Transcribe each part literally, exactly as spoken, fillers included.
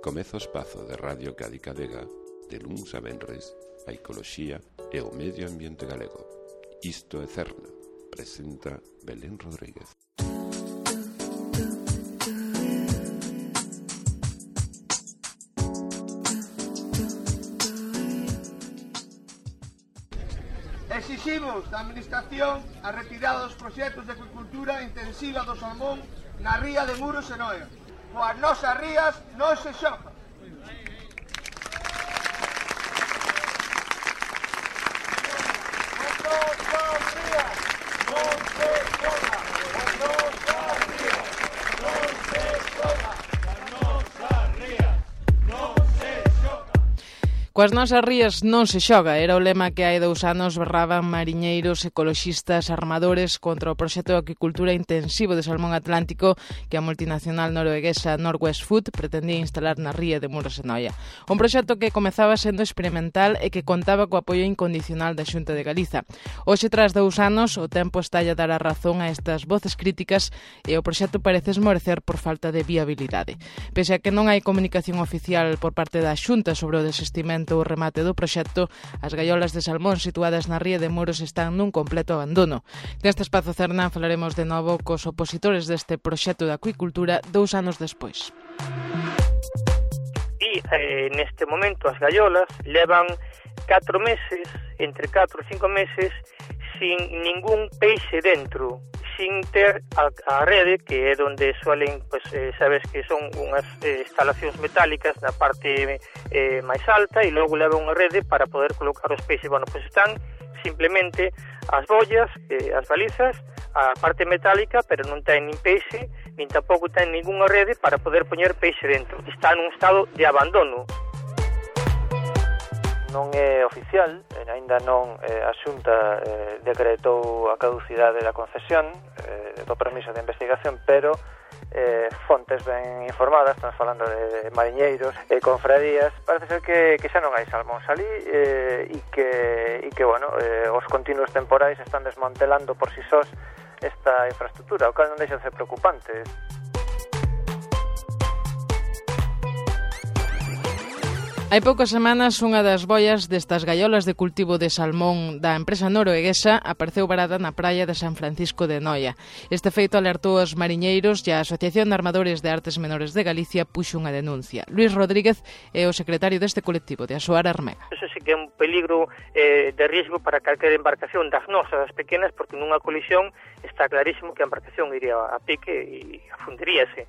Comeza o espazo de Radio Cádiz Vega de luns a venres a ecoloxía e o medio ambiente galego. Isto é Cerna, presenta Belén Rodríguez. Exiximos da Administración a retirada dos proxectos de acuicultura intensiva do salmón na ría de Muros e Noia. Coas nosas rías non se xoga. Coas nosas rías non se xoga, era o lema que hai dous anos berraban mariñeiros, ecoloxistas, armadores contra o proxecto de acuicultura intensivo de salmón atlántico que a multinacional norueguesa Norwest Food pretendía instalar na ría de Muros e Noia. Un proxecto que comezaba sendo experimental e que contaba co apoio incondicional da Xunta de Galiza. Hoxe, tras dous anos, o tempo está a dar a razón a estas voces críticas e o proxecto parece esmorecer por falta de viabilidade. Pese a que non hai comunicación oficial por parte da Xunta sobre o desistimento o remate do proxecto, as gaiolas de salmón situadas na ría de Muros están nun completo abandono. Neste espazo Cerna falaremos de novo cos opositores deste proxecto de acuicultura dous anos despois. E eh, neste momento as gaiolas levan catro meses, entre catro e cinco meses, sin ningún peixe dentro, sin ter a, a rede, que é onde suelen, pues, eh, sabes que son unhas eh, instalacións metálicas na parte eh, máis alta, e logo leva unha rede para poder colocar os peixes. Bueno, pues están simplemente as bollas, eh, as balizas, a parte metálica, pero non ten nin peixe, nin tampouco ten ningunha rede para poder poñer peixe dentro. Está nun estado de abandono. Non é oficial, aínda non eh, a Xunta eh, decretou a caducidade da concesión eh, do permiso de investigación, pero eh, fontes ben informadas, estamos falando de mariñeiros e confradías, parece ser que, que xa non hai salmón salí eh, e que, e que bueno, eh, os continuos temporais están desmantelando por si sós esta infraestructura, o cal non deixa de ser preocupante. Hai poucas semanas, unha das boias destas gaiolas de cultivo de salmón da empresa norueguesa apareceu varada na praia de San Francisco de Noia. Este feito alertou os mariñeiros e a Asociación de Armadores de Artes Menores de Galicia puxo unha denuncia. Luís Rodríguez é o secretario deste colectivo de Asoar Armega. Eso sí que é un peligro eh, de risco para calquera embarcación das nosas, das pequenas, porque nunha colisión está clarísimo que a embarcación iría a pique e afundiríase.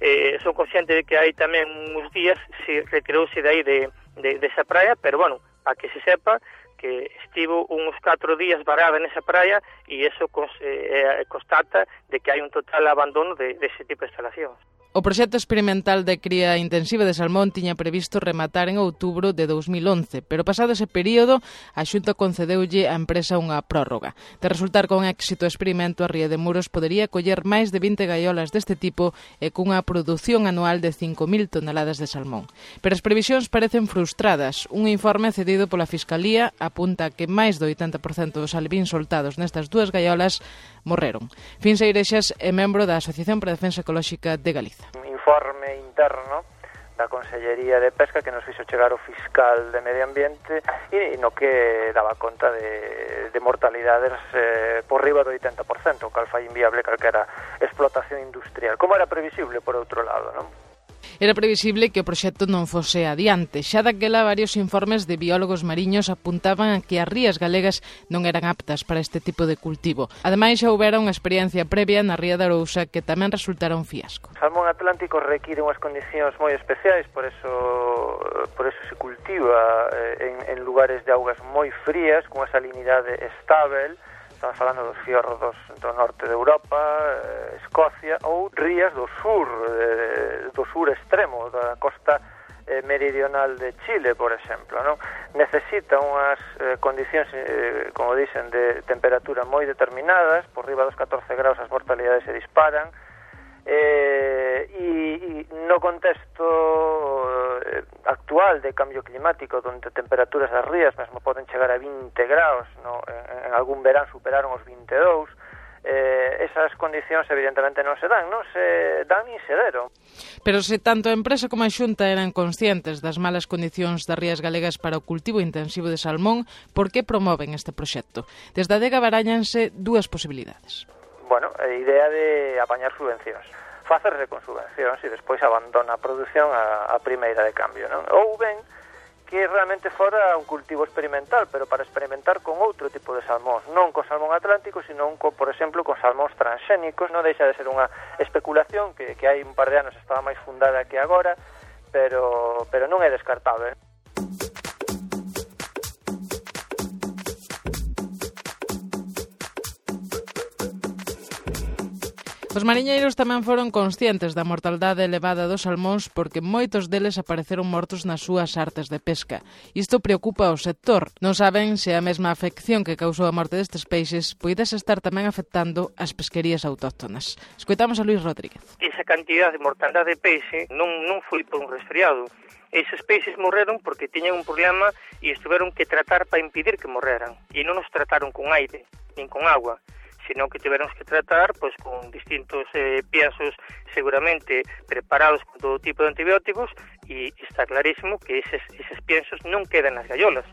Eh, son consciente de que hai tamén uns días se retirouse de aí de, de, de esa praia, pero bueno, para que se sepa que estivo uns catro días varada nesa praia e eso cons, eh, constata de que hai un total abandono de, de ese tipo de instalacións. O proxecto experimental de cría intensiva de salmón tiña previsto rematar en outubro de dous mil once, pero pasado ese período, a Xunta concedeulle á empresa unha prórroga. De resultar con éxito o experimento, a ría de Muros podería coller máis de vinte gaiolas deste tipo e cunha produción anual de cinco mil toneladas de salmón. Pero as previsións parecen frustradas. Un informe cedido pola Fiscalía apunta que máis do oitenta por cento dos alevíns soltados nestas dúas gaiolas morreron. Fins Eirexas é membro da Asociación para a Defensa Ecolóxica de Galiza. Un informe interno da Consellería de Pesca que nos fixo chegar o fiscal de Medio Ambiente e no que daba conta de, de mortalidades eh, por riba do oitenta por cento, o cal fai inviable calquera explotación industrial, como era previsible por outro lado, non? Era previsible que o proxecto non fose adiante. Xa daquela varios informes de biólogos mariños apuntaban a que as rías galegas non eran aptas para este tipo de cultivo. Ademais, xa houbera unha experiencia previa na ría de Arousa que tamén resultara un fiasco. O salmón atlántico require unhas condicións moi especiais, por eso, por eso se cultiva en, en lugares de augas moi frías, con unha salinidade estável. Estamos falando dos fiordos do norte de Europa, eh, Escocia, ou rías do sur, eh, do sur extremo, da costa eh, meridional de Chile, por exemplo, non? Necesita unhas eh, condicións, eh, como dicen, de temperatura moi determinadas, por riba dos catorce graus as mortalidades se disparan, eh, e, e no contexto eh, actual de cambio climático, onde temperaturas das rías mesmo poden chegar a vinte graus, no? en, en algún verán superaron os vinte e dous, eh, esas condicións evidentemente non se dan, non se dan nin se deron. Pero se tanto a empresa como a Xunta eran conscientes das malas condicións das rías galegas para o cultivo intensivo de salmón, por que promoven este proxecto? Desde a adega baráñanse dúas posibilidades. Bueno, a idea de apañar subvencións, facerse con subvencións e despois abandona a produción a, a primeira de cambio, non? Ou ben que realmente fora un cultivo experimental, pero para experimentar con outro tipo de salmóns, non con salmón atlántico, sino, con, por exemplo, con salmóns transxénicos. Non deixa de ser unha especulación que, que hai un par de anos estaba máis fundada que agora, pero, pero non é descartable. Os mariñeiros tamén foron conscientes da mortaldade elevada dos salmóns porque moitos deles apareceron mortos nas súas artes de pesca. Isto preocupa ao sector. Non saben se a mesma afección que causou a morte destes peixes poidese estar tamén afectando as pesquerías autóctonas. Escoitamos a Luis Rodríguez. Esa cantidad de mortaldade de peixe non, non foi por un resfriado. Eses peixes morreron porque tiñan un problema e estiveron que tratar para impedir que morreran. E non os trataron con aire, nin con agua, sino que tivemos que tratar pois con distintos eh, piensos seguramente preparados con todo tipo de antibióticos e está clarísimo que eses, eses piensos non quedan nas gaiolas.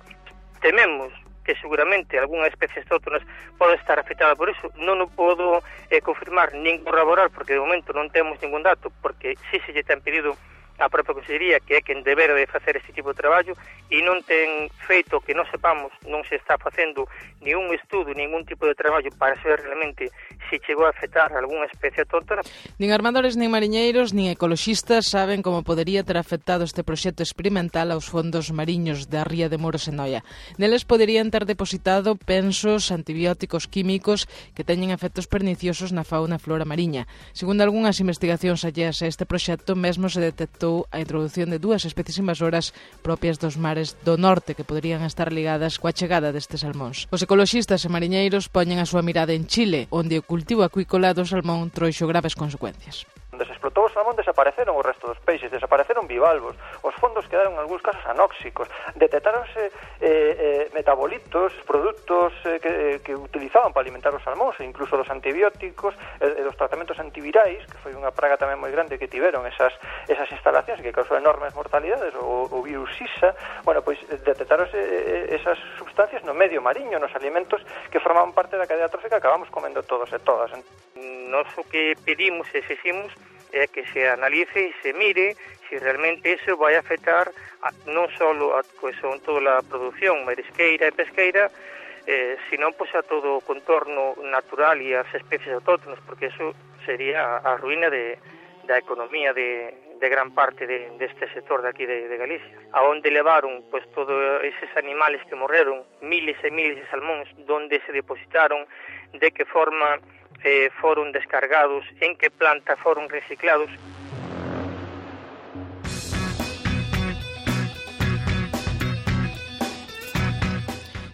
Tememos que seguramente algunha especie autóctonas pode estar afectada por iso. Non o podo eh, confirmar nin corroborar porque de momento non temos ningún dato, porque si se lle ten pedido a propia Consellería, que é quen debera de facer este tipo de traballo, e non ten feito que non sepamos, non se está facendo ni un estudo, ningún tipo de traballo para saber realmente se chegou a afectar algunha especie autóctona. Nin armadores, nin mariñeiros, nin ecoloxistas saben como podería ter afectado este proxecto experimental aos fondos mariños da ría de Muros e Noia. Neles poderían ter depositado pensos, antibióticos químicos que teñen efectos perniciosos na fauna e flora mariña. Segundo algunhas investigacións alleas a este proxecto, mesmo se detectou a introducción de dúas especies invasoras propias dos mares do norte que poderían estar ligadas coa chegada destes salmóns. Os ecoloxistas e mariñeiros poñen a súa mirada en Chile, onde o cultivo acuícola do salmón trouxo graves consecuencias. Onde se explotou o salmón desapareceron o resto dos peixes, desapareceron bivalvos, os fondos quedaron en algúns casos anóxicos, detectáronse eh, eh, metabolitos, produtos eh, que, que utilizaban para alimentar os salmóns, e incluso dos antibióticos e eh, dos tratamentos antivirais, que foi unha praga tamén moi grande que tiveron esas, esas instalacións que causou enormes mortalidades, o, o virus Sisa. Bueno, pois detectáronse esas sustancias no medio mariño, nos alimentos que formaban parte da cadea trófica que acabamos comendo todos e todas. Nos o que pedimos e exigimos é que se analice e se mire se realmente iso vai afectar a, non só a pues, toda a produción marisqueira e pesqueira, eh, sino pues, a todo o contorno natural e as especies autóctonas, porque iso sería a ruína de, da economía de, de gran parte de, deste sector de aquí de, de Galicia, a onde levaron pues, todos eses animales que morreron, miles e miles de salmóns, donde se depositaron, de que forma Eh, foron descargados, en que planta foron reciclados.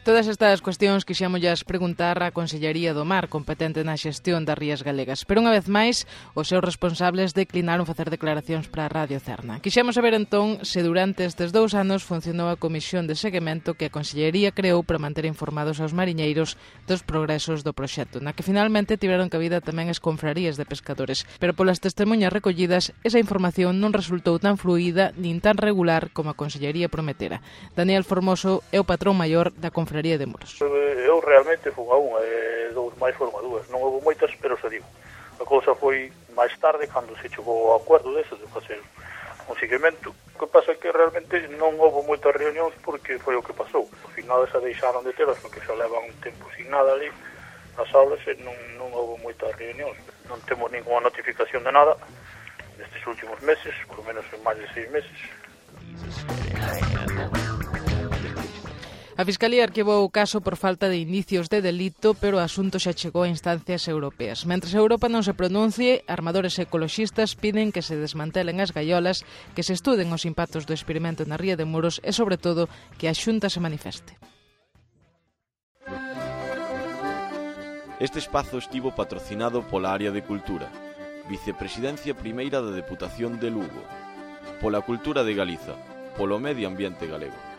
Todas estas cuestións quixémollas preguntar á Consellería do Mar, competente na xestión das rías galegas, pero unha vez máis os seus responsables declinaron facer declaracións para a Radio Cerna. Quixemos saber entón se durante estes dous anos funcionou a comisión de seguimento que a Consellería creou para manter informados aos mariñeiros dos progresos do proxecto, na que finalmente tiveron cabida tamén as confrarías de pescadores, pero polas testemunhas recollidas esa información non resultou tan fluida nin tan regular como a Consellería prometera. Daniel Formoso é o patrón maior da confraría de Muros. Eu realmente fui a unha, e dous máis foron a dúas. Non houve moitas, pero se digo. A cousa foi máis tarde, cando se chegou ao acordo deso de facer un seguimento. O que pasa é que realmente non houve moitas reunións porque foi o que pasou. Ao final se deixaron de telas porque xa levan un tempo sin nada ali nas aulas e non, non houve moitas reunións. Non temos ninguna notificación de nada nestes últimos meses, por lo menos en máis de seis meses. A Fiscalía arquivou o caso por falta de indicios de delito, pero o asunto xa chegou a instancias europeas. Mentres a Europa non se pronuncie, armadores ecoloxistas piden que se desmantelen as gaiolas, que se estuden os impactos do experimento na ría de Muros e, sobre todo, que a Xunta se manifeste. Este espazo estivo patrocinado pola Área de Cultura, Vicepresidencia Primeira da Deputación de Lugo, pola Cultura de Galiza, polo Medio Ambiente Galego.